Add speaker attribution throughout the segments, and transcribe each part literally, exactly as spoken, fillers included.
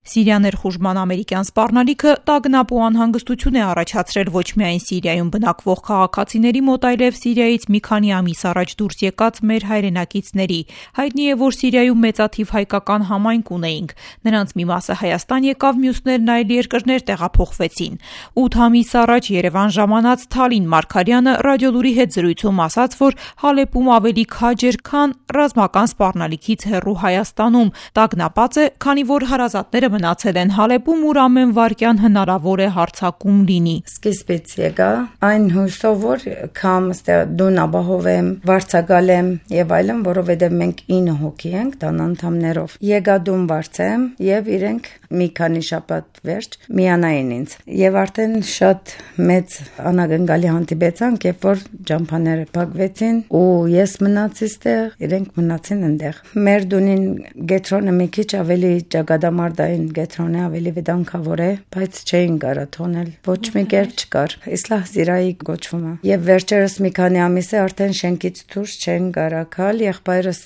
Speaker 1: Սիրիա ներխուժման ամերիկյան սպառնալիքը տագնապ ու անհանգստություն է առաջացրել ոչ միայն Սիրիայում բնակվող քաղաքացիների մոտ, այլև Սիրիայից մի քանի ամիս առաջ դուրս եկած մեր հայրենակիցների։ Հայտնի է, որ Սիրիայում մեծաթիվ հայկական համայնք ունեինք։ Նրանց մի մասը Հայաստան եկավ, մյուսներն այլ երկրներ տեղափոխվեցին։ Ութ ամիս առաջ Երևան ժամանած Թալին Մարգարյանը ռադիոլուրի հետ զրույցում ասաց, որ Հալեպում ավելի քաջ էր, քան ռազմական սպառնալիքից հեռու Հայաստանում։ Տագնապած է, քանի որ հարազատները մնացել են Հալեպում, ուր ամեն վայրկյան հնարավոր է հարձակում լինի։
Speaker 2: Սկիզբից եկա այն հույսով, որ կամ դուն ապահովեմ, վարձակալեմ եւ այլն, որովհետեւ մենք ինը հոգի ենք տան անդամներով։ Եկա դուն վարձեմ եւ իրենք մի քանի շաբաթ վերջ միանային ինձ։ Եվ արդեն շատ մեծ անագնգալի հանդիպեցանք, երբ որ ջամփաները փակվեցին ու ես մնացի ստեղ, իրենք մնացին այնտեղ։ Մեր դունին գետրոնը մի քիչ ավելի ճակատամարտային գետրոնը ավելի վտանգավոր է, բայց չէին կարա թողնել։ Ոչ մի կերպ չկար։ Իսլահ զիրայի գոչվում է։ Եվ վերջերս մի քանի ամիս է արդեն շենքից դուրս չեն կարա գալ, եղբայրս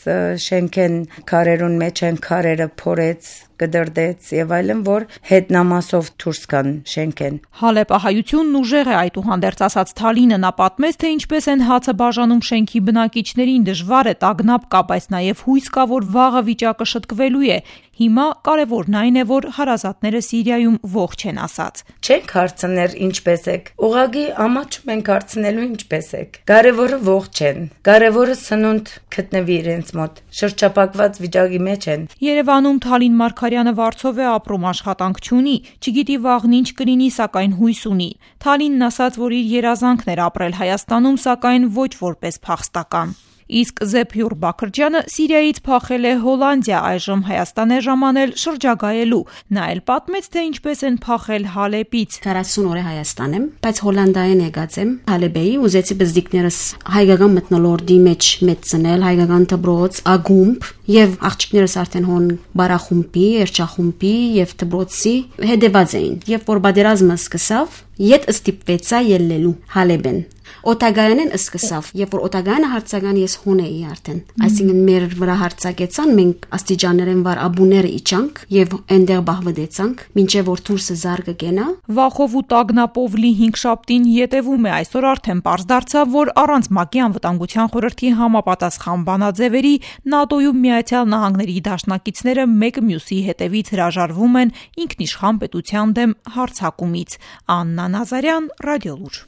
Speaker 2: շենքեն քարերուն մեջ են քարերը փորեց, կդրդեց եւ այլն, որ հետնամասով դուրս կան շենքեն։
Speaker 1: Հալեպահայությունն ուժեղ է, այդուհանդերձ ասաց Թալինը, նա պատմեց, թե ինչպես են հացը բաժանում շենքի բնակիչներին, դժվար է, տագնապ կա, բայց նաեւ հույս կա, որ վաղը վիճակը շտկվելու է։ Հիմա կարևորն այն է, որ հարազատները Սիրիայում ողջ են, ասաց։
Speaker 2: Չենք հարցներ ինչպես եք։ Ուղղակի ամաչում ենք հարցնելու ինչպես եք։ Կարևորը ողջ են։ Կարևորը սնունդ գտնվի իրենց մոտ։ Շրջապակված վիճակի մեջ են։
Speaker 1: Երևանում Թալին Մարգարյանը վարձով է ապրում, աշխատանք չունի, չգիտի վաղն ինչ կլինի, սակայն հույս ունի։ Թալինն ասաց, որ իր երազանքն էր ապրել Հայաստանում, սակայն ոչ որպես փախստական։ Իսկ Զեփյուր Բաքրջյանը Սիրիայից փախել է Հոլանդիա, այժմ Հայաստան է ժամանել շրջագայելու։ Նա էլ պատմեց, թե ինչպես են փախել Հալեպից։
Speaker 3: քառասուն օր է Հայաստան եմ, բայց Հոլանդիայեն եկած եմ Հալեպեի, ուզեցի բզդիկներս հայկական մթնոլորտի մեջ մեծնել, հայկական դբրոց, ագումբ եւ աղջիկներս արդեն հոն բարախումբի, երջախումբի եւ դբրոցի հետեված էին։ Երբ որ բادرազմը սկսավ, իդ ստիպվեցա ելնելու Հալեբեն։ Օտագայանեն սկսավ, երբ որ օտագայանը հարցական ես հոն էի արդեն։ Այսինքն մեր վրա հարցակեցան, մենք աստիճաներեն վար աբուները իջանք եւ այնտեղ բահվեցանք, մինչեւ որ դուրսը զարգը գենա։
Speaker 1: Վախով ու տագնապով լի հինգշաբթին յետևում է, այսօր արդեն պարզ դարձավ, որ առանց ՄԱԿ-ի անվտանգության խորհրդի համապատասխան բանաձևերի ՆԱՏՕ-ում Միացյալ Նահանգների դաշնակիցները մեկը մյուսի հետևից հրաժարվում են ինքնիշխան պետության դեմ հարձակումից։ Աննա Նազարյան, Ռադիոլուր։